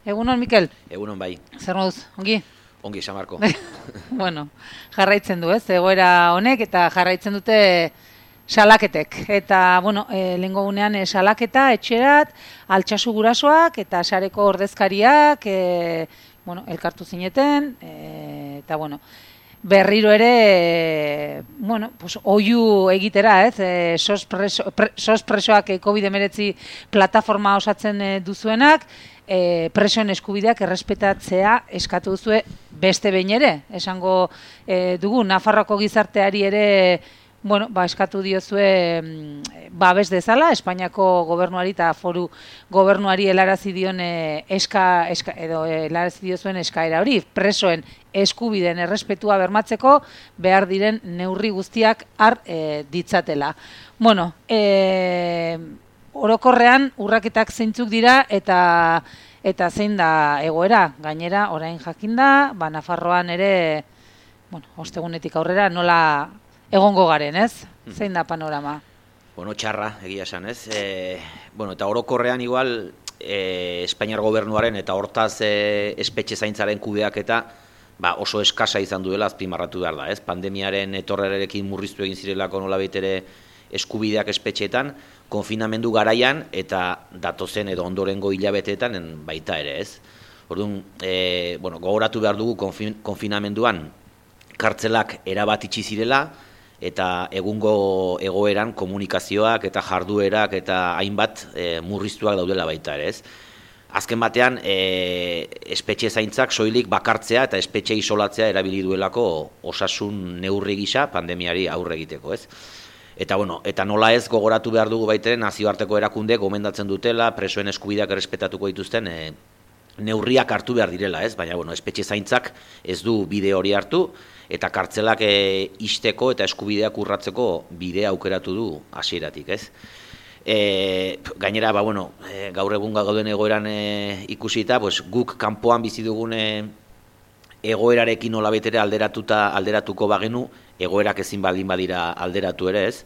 Egunon, Mikel? Egunon bai. Zer moduz, ongi? Ongi, Samarko. Bueno, jarraitzen du, ez? Egoera honek eta jarraitzen dute salaketek. Eta, bueno, lehengo gunean salaketa, etxerat, altsasu gurasoak eta sareko ordezkariak, bueno, elkartu zineten, eta, bueno, berriro ere, bueno, pues, oiu egitera, ez? SOS presoak COVID-19 plataforma osatzen duzuenak, presoen eskubideak errespetatzea eskatu duzue beste behin ere. Esango dugu, Nafarroako gizarteari ere, bueno, eskatu diozue babes dezala, Espainiako gobernuari eta foru gobernuari helarazi dion helarazi diozuen eskaera hori, presoen eskubideen errespetua bermatzeko behar diren neurri guztiak har ditzatela. Bueno, orokorrean urraketak zeintzuk dira eta zein da egoera. Gainera, orain jakinda, Nafarroan ere, bueno, ostegunetik aurrera nola egongo garen, ez? Zein da panorama? Bueno, txarra, egia esan, ez? Bueno, eta orokorrean igual, Espainiar gobernuaren eta hortaz espetxe zaintzaren kudeaketa oso eskasa izan duela azpimarratu behar da, ez? Pandemiaren etorrerekin murriztu egin zirelako nola baitere eskubideak espetxeetan, konfinamendu garaian eta datozen edo ondorengo hilabeteetan baita ere, ez? Orduan, bueno, gogoratu behar dugu konfinamenduan kartzelak erabat itxi zirela eta egungo egoeran komunikazioak eta jarduerak eta hainbat murriztuak daudela baita ere, ez? Azken batean, espetxe zaintzak soilik bakartzea eta espetxe isolatzea erabili duelako osasun neurri gisa pandemiari aurre egiteko, ez? Eta, bueno, eta nola ez gogoratu behar dugu baiteren nazioarteko erakunde gomendatzen dutela, presoen eskubideak errespetatuko dituzten neurriak hartu behar direla, ez? Baina, bueno, espetxe zaintzak ez du bide hori hartu, eta kartzelak ixteko eta eskubideak urratzeko bidea aukeratu du hasieratik, ez? Gainera, bueno, gaur egun gauden egoeran ikusita, guk kanpoan bizi dugun egoerarekin nola betere alderatuko bagenu, egoerak ezin baldin badira alderatu ere, ez?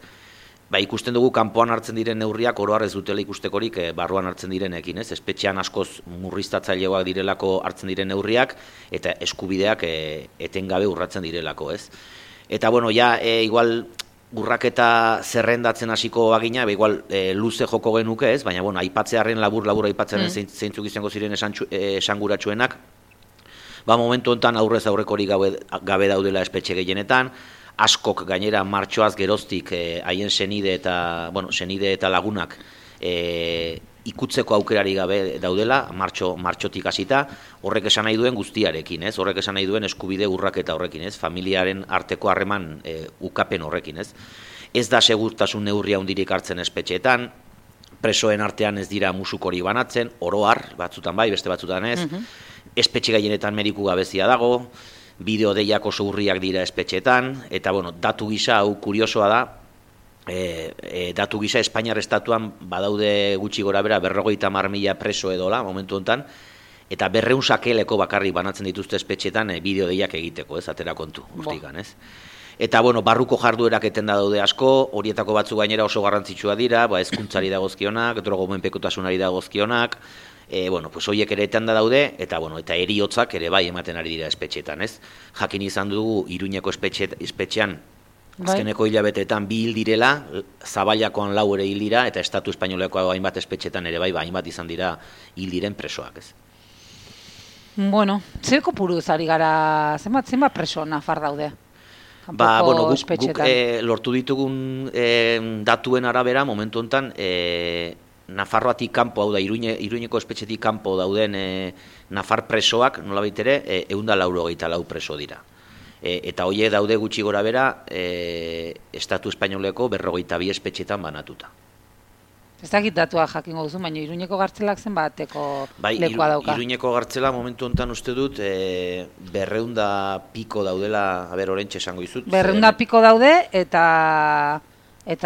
Ikusten dugu kanpoan hartzen diren neurriak oro har ez dutela ikustekorik barruan hartzen direnekin, ez? Espetxean askoz murriztatzaileagoak direlako hartzen diren neurriak eta eskubideak etengabe urratzen direlako, ez? Eta, bueno, igual urraketa zerrendatzen hasiko bagina, igual luze joko genuke, ez? Baina, bueno, aipatzearen labur aipatzearen zeintzuk izango ziren esanguratsuenak, momentu honetan aurrez aurrekorik gabe daudela espetxe gehienetan, askok gainera martxoaz geroztik haien senide eta lagunak ikutzeko aukerari gabe daudela, martxotik hasita, horrek esan nahi duen guztiarekin, ez? Horrek esan nahi duen eskubide urraketa horrekin, ez? Familiaren arteko harreman ukapen horrekin, ez? Ez da segurtasun neurria handirik hartzen espetxeetan, presoen artean ez dira musukori banatzen, oro har, batzutan bai, beste batzutan ez, espetxe gehienetan mediku gabezia dago, bideo deiak oso urriak dira espetxetan, eta, bueno, datu gisa, hau kuriosoa da, datu gisa Espainiar estatuan badaude gutxi gora bera 50.000 preso edola, momentu honetan, eta 200 sakeleko bakarrik banatzen dituzte espetxetan bideo deiak egiteko, ez, atera kontu, urtikan, ez? Eta, bueno, barruko jarduerak etenda daude asko, horietako batzu gainera oso garrantzitsua dira, hezkuntzari dagozkionak, drogomenpekotasunari dagozkionak, bueno, pues horiek ere etenda daude, eta, bueno, eta heriotzak ere bai ematen ari dira espetxetan, ez? Jakin izan dugu Iruñeko espetxean, azkeneko hilabeteetan 2 hil direla, Zabailakoan 4 ere hil dira, eta Estatu Espainoleko hainbat espetxetan ere bai, hainbat izan dira hil diren presoak, ez? Bueno, zer kopuruz ari gara, zenbat preso Nafar daude? Bueno, guk lortu ditugun datuen arabera, momentu honetan, Nafarroatik kanpo, hau da, Iruñeko espetxetik kanpo dauden Nafar presoak, nolabait ere, 184 preso dira. Eta horiek daude gutxi gora bera, Estatu Espainoleko 52 espetxetan banatuta. Ez dakit datua jakingo duzu, baina Iruñeko gartzelak zenbateko lekua dauka? Iruñeko gartzela momentu honetan uste dut 200 piko daudela, orentxe esango izut. 200 piko daude eta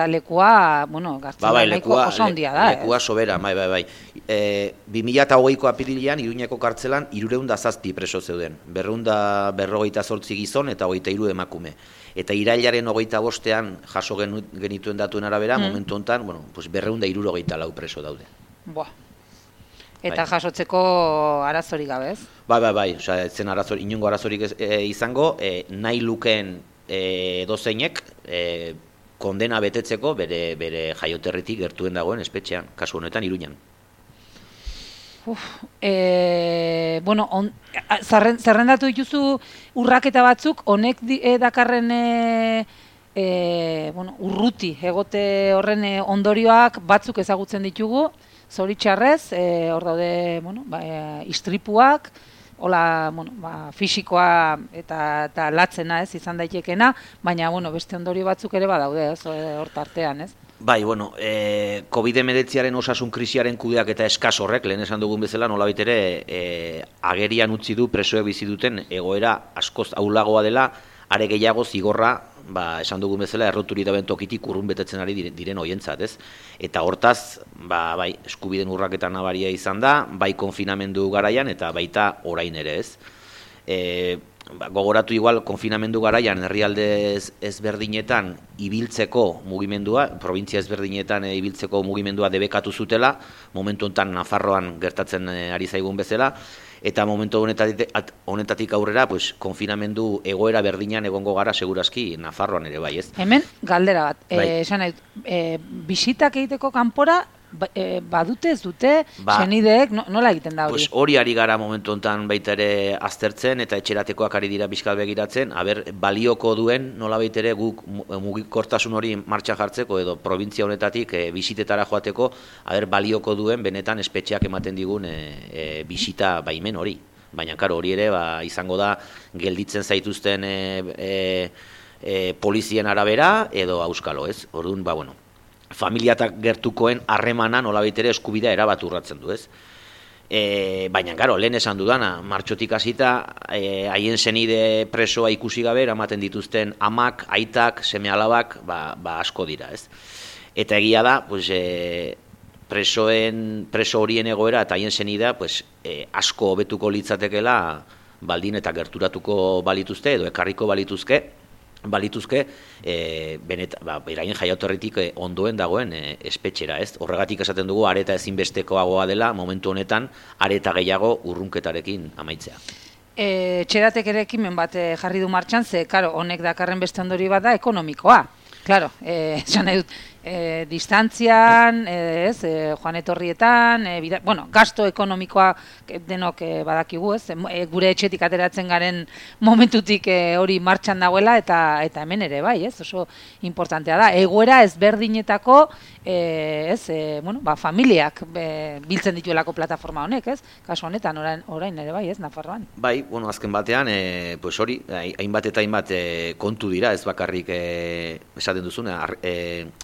lekua, bueno, gartzela nahiko oso handia da. Lekua sobera, bai. 2008ko apirilean Iruñeko gartzelan 307 preso zeuden. 248 gizon eta 23 emakume. Eta irailaren 25ean jaso genituen datuen arabera, momentu honetan, 274 preso daude. Eta jasotzeko arazorik gabe, ez? Bai, osea, ez zen inongo arazorik izango, nahi lukeen edozeinek kondena betetzeko bere jaioterritik gertuen dagoen espetxean, kasu honetan Iruñan. Bueno, zerrendatu dituzu urraketa batzuk, honek dakarren urruti egote horren ondorioak batzuk ezagutzen ditugu, zoritxarrez, hor daude istripuak, hola, fisikoa eta latzena, ez, izan daitekena, baina, beste ondorio batzuk ere badaude, ez, hor tartean, ez? Bai, COVID-19 osasun krisiaren kudeak eta eskas horrek, lehen esan dugun bezala, nolabait ere agerian utzi du presoek bizi duten egoera askoz ahulagoa dela, are gehiago zigorra, esan dugun bezala, erroturi daben tokitik urrun betetzen ari diren hoientzat, ez? Eta hortaz, bai, eskubideen urraketa nabaria izan da, bai konfinamendu garaian eta baita orain ere, ez? Gogoratu igual konfinamendu garaian herrialde ezberdinetan ibiltzeko mugimendua, provintzia ezberdinetan ibiltzeko mugimendua debekatu zutela, momentu honetan Nafarroan gertatzen ari zaigun bezala, eta momentu honetatik aurrera, konfinamendu egoera berdinan egongo gara segurazki Nafarroan ere bai, ez? Hemen galdera bat, esan nahi, bisitak egiteko kanpora, badute ez dute, senideek, nola egiten da hori? Hori ari gara momentu honetan baita ere aztertzen eta etxeratekoak ari dira bizkal begiratzen, balioko duen nola baita ere guk mugikortasun hori martxan jartzeko edo provintzia honetatik bisitetara joateko, balioko duen benetan espetxeak ematen digun bisita baimen hori. Baina, karo, hori ere izango da gelditzen zaituzten polizien arabera edo auskalo, ez? Orduan, familiatak gertukoen harremana nolabait ere eskubidea erabat urratzen du, ez? Baina, garo, lehen esan dudana, martxotik hasita haien senide presoa ikusi gabe eramaten dituzten amak, aitak, seme-alabak, asko dira, ez? Eta egia da, preso horien egoera eta haien senidea asko hobetuko litzatekela baldin eta gerturatuko balituzte edo ekarriko balituzke beraien jaioterritik ondoen dagoen espetxera, ez? Horregatik esaten dugu areta ezinbestekoagoa dela momentu honetan areta gehiago urrunketarekin amaitzea. Txeratek ere ekimen bat jarri du martxan, ze, karo, honek dakarren beste ondori bat da ekonomikoa. Claro, esan nahi dut, distantzian, joan etorrietan, gasto ekonomikoa denok badakigu, ez? Gure etxetik ateratzen garen momentutik hori martxan dagoela eta hemen ere bai, ez? Oso importantea da. Egoera ezberdinetako, familiak biltzen dituelako plataforma honek, ez? Kasu honetan, orain ere bai, ez? Nafarroan. Bai, azken batean, hori, hainbat eta hainbat kontu dira, ez bakarrik esaten duzuna,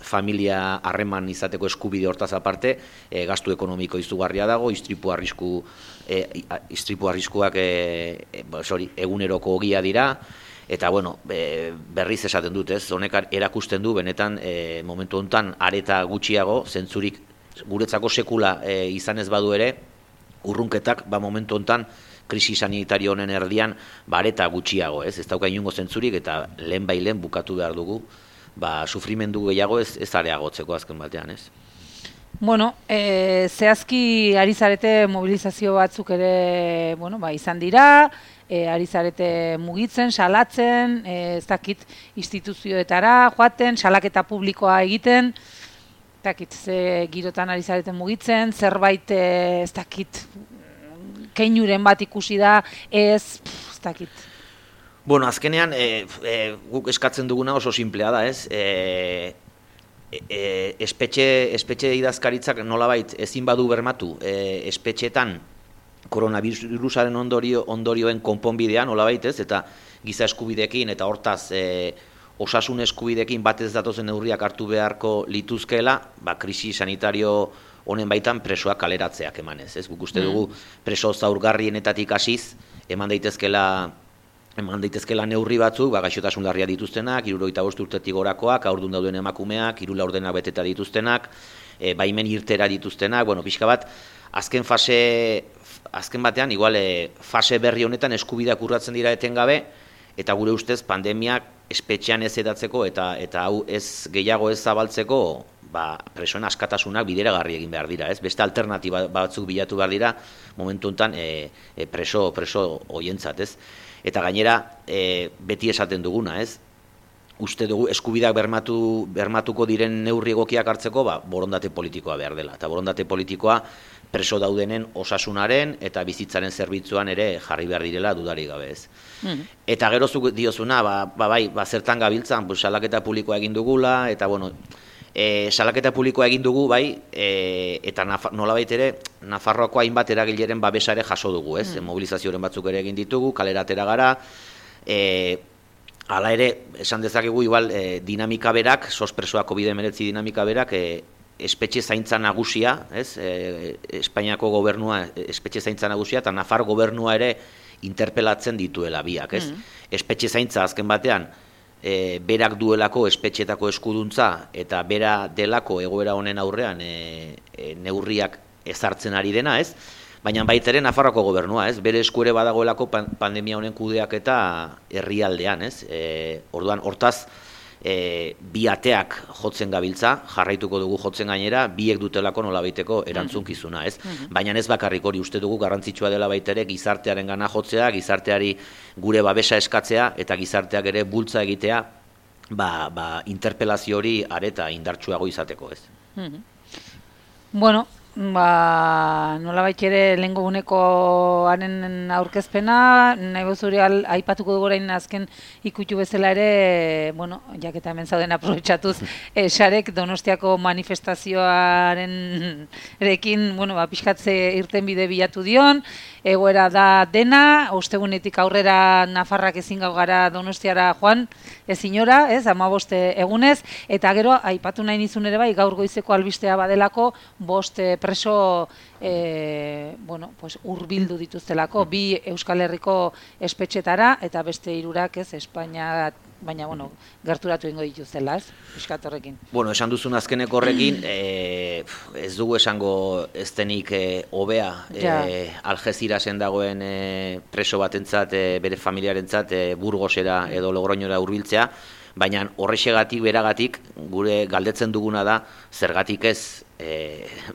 familia harreman izateko eskubide hortaz aparte, gastu ekonomiko izugarria dago, istripu arriskuak eguneroko ogia dira, eta berriz esaten dut, ez, honek erakusten du benetan momentu honetan areta gutxiago, zentzurik guretzako sekula izan ez badu ere, urrunketak momentu honetan krisi sanitario honen erdian areta gutxiago, ez dauka inongo zentzurik eta lehen bukatu behar dugu, sufrimendu gehiago ez areagotzeko azken batean, ez? Zehazki ari zarete mobilizazio batzuk ere, izan dira, ari zarete mugitzen, salatzen, ez dakit instituzioetara joaten, salaketa publikoa egiten, ez dakit ze girotan ari zarete mugitzen, zerbait ez dakit keinuren bat ikusi da, ez dakit. Azkenean, guk eskatzen duguna oso simplea da, ez? Espetxe idazkaritzak nolabait ezin badu bermatu, espetxetan koronavirusaren ondorioen konponbidean nolabait, ez? Eta giza eskubidekin eta hortaz osasun eskubidekin batez datozen neurriak hartu beharko lituzkeela, krisi sanitario honen baitan presoak kaleratzeak emanez, ez? Guk uste dugu preso zaurgarrienetatik hasiz eman daitezkela neurri batzuk, gaixotasun larria dituztenak, 75 urtetik gorakoak, haurdun dauden emakumeak, 3 laurdenak beteta dituztenak, baimen irtera dituztenak, pixka bat, azken batean, igual, fase berri honetan eskubideak urratzen dira etengabe, eta gure ustez pandemiak espetxean ez edatzeko eta hau ez gehiago ez zabaltzeko, presoen askatasunak bideragarri egin behar dira, ez? Beste alternatiba batzuk bilatu behar dira momentu honetan preso hoientzat, ez? Eta gainera beti esaten duguna, ez? Uste dugu eskubideak bermatuko diren neurri egokiak hartzeko, borondate politikoa behar dela. Eta borondate politikoa preso daudenen osasunaren eta bizitzaren zerbitzuan ere jarri behar direla dudarik gabe, ez. Eta gero zuk diozuna, zertan gabiltzan, salaketa publikoa egin dugula, eta salaketa publikoa egin dugu, eta nolabait ere, Nafarroako hainbat eragileren babesare jaso dugu, ez? Mobilizazioren batzuk ere egin ditugu, kalera atera gara, hala ere, esan dezakegu, igual, dinamika berak, sospresoa COVID-19 dinamika berak, espetxe zaintza nagusia, ez? Espainiako gobernua espetxe zaintza nagusia, eta Nafar gobernua ere interpelatzen dituela biak, ez? Espetxe zaintza azken batean, berak duelako espetxetako eskuduntza, eta bera delako egoera honen aurrean neurriak ezartzen ari dena, ez? Baina baita ere Nafarroako gobernua, ez? Bere esku ere badagoelako pandemia honen kudeak eta herrialdean, ez? Orduan, hortaz, bi ateak jotzen gabiltza, jarraituko dugu jotzen gainera, biek dutelako nolabaiteko erantzunkizuna, ez? Baina ez bakarrik hori, uste dugu garrantzitsua dela baita ere gizartearen gana jotzea, gizarteari gure babesa eskatzea, eta gizarteak ere bultza egitea, interpelazio hori areta indartsuago izateko, ez? Bueno, nolabait ere lehengo unekoaren aurkezpena, nahi bozuri aipatuko dugu orain azken ikutu bezala ere, jaketa hemen zauden aprobetxatuz, sarek Donostiako manifestazioaren erekin, pixkatze irten bide bilatu dion, egoera da dena, ostegunetik aurrera Nafarrak ezin gau gara Donostiara joan, ezinora, ez, 15 egunez, eta gero, aipatu nahi nizun ere gaur goizeko albistea badelako, 5 preso hurbildu dituztelako, bi Euskal Herriko espetxetara, eta beste 3 ez, Espainia, baina, gerturatu ingo dituztela, ez, piskat horrekin. Esan duzun azkeneko horrekin, ez dugu esango ez denik hobea, Algezirasen dagoen preso batentzat, bere familiarentzat, Burgosera edo Logroñora hurbiltzea, baina horrexegatik, beragatik, gure galdetzen duguna da, zergatik ez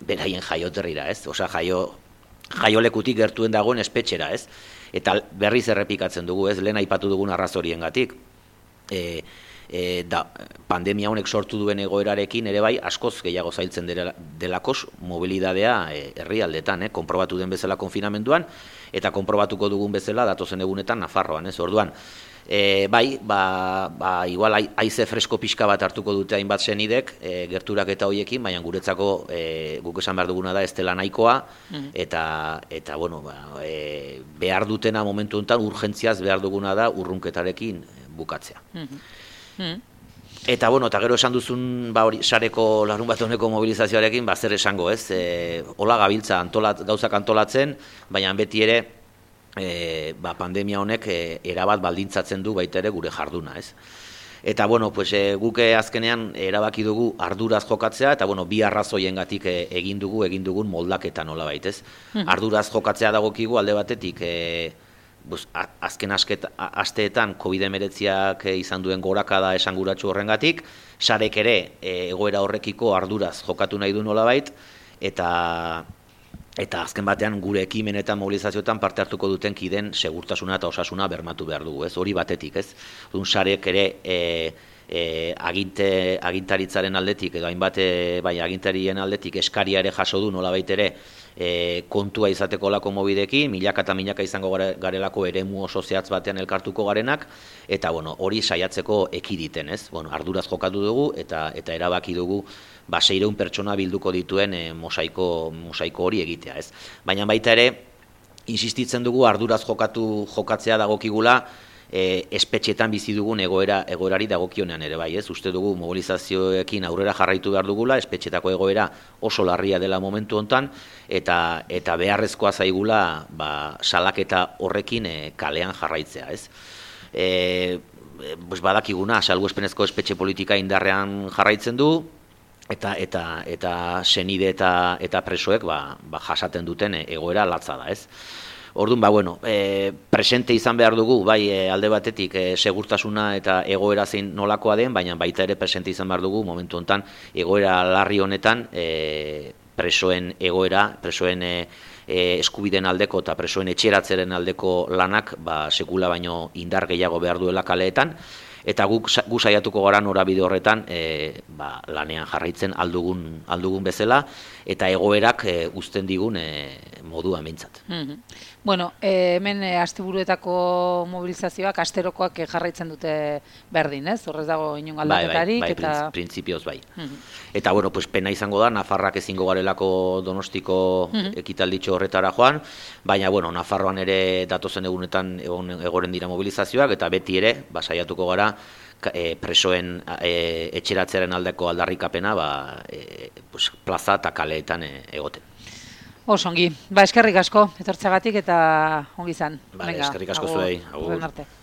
beraien jaioterrira, ez? Osa, jaiolekutik gertuen dagoen espetxera, ez? Eta berriz errepikatzen dugu, ez? Lehen aipatu dugun arrazoriengatik. Pandemia honek sortu duen egoerarekin ere askoz gehiago zailtzen delakos mobilidadea herrialdetan, konprobatu den bezala konfinamenduan, eta konprobatuko dugun bezala datozen egunetan Nafarroan, ez? Orduan, igual haize fresko pixka bat hartuko dute hainbat senidek, gerturak eta hoiekin, baina guretzako guk esan behar duguna da ez dela nahikoa, eta behar dutena momentu honetan urgentziaz behar duguna da urrunketarekin bukatzea. Eta gero esan duzun sareko larun bat honeko mobilizazioarekin, zer esango, ez? Hola gabiltza gauzak antolatzen, baina beti ere pandemia honek erabat baldintzatzen du baita ere gure jarduna, ez? Eta, guk azkenean erabaki dugu arduraz jokatzea, eta, bi arrazoiengatik egin dugun moldaketa nolabait, ez? Arduraz jokatzea dagokigu alde batetik, azken asteetan COVID-19ak izan duen gorakada esanguratsu horrengatik, sarek ere egoera horrekiko arduraz jokatu nahi du nolabait, eta azken batean gure ekimen eta mobilizazioetan parte hartuko duten kiden segurtasuna eta osasuna bermatu behar dugu, ez? Hori batetik, ez? Sarek ere agintaritzaren aldetik, edo hainbat agintarien aldetik eskaria ere jaso du nolabait ere kontua izateko lako mobidekin, milaka eta milaka izango garelako eremu oso zehatz batean elkartuko garenak, eta hori saiatzeko ekiditen, ez? Arduraz jokatu dugu eta erabaki dugu 600 pertsona bilduko dituen mosaiko hori egitea, ez? Baina baita ere, insistitzen dugu arduraz jokatzea dagokigula espetxetan bizi dugun egoerari dagokionean ere bai, ez? Uste dugu mobilizazioekin aurrera jarraitu behar dugula, espetxetako egoera oso larria dela momentu hontan, eta beharrezkoa zaigula salaketa horrekin kalean jarraitzea, ez? Badakiguna, salbuespenezko espetxe politika indarrean jarraitzen du, eta senide eta presoek jasaten duten egoera latza da, ez? Orduan, bueno, presente izan behar dugu, bai alde batetik segurtasuna eta egoera zein nolakoa den, baina baita ere presente izan behar dugu momentu honetan egoera larri honetan presoen egoera, presoen eskubideen aldeko eta presoen etxeratzeren aldeko lanak sekula baino indar gehiago behar duela kaleetan, eta gu saiatuko gara norabide horretan lanean jarraitzen aldugun bezala, eta egoerak uzten digun moduan behintzat. Bueno, hemen asteburuetako mobilizazioak asterokoak jarraitzen dute berdin, ez? Horrez dago inon aldaketarik. Bai, printzipioz bai. Eta, bueno, pena izango da, Nafarrak ezingo garelako Donostiko ekitalditxo horretara joan, baina, bueno, Nafarroan ere datozen egunetan egoren dira mobilizazioak, eta beti ere, saiatuko gara, presoen etxeratzearen aldeko aldarrikapena plaza eta kaleetan egoten. Osongi, eskerrik asko etortzeagatik eta ongi izan. Eskerrik asko zuei. Agur.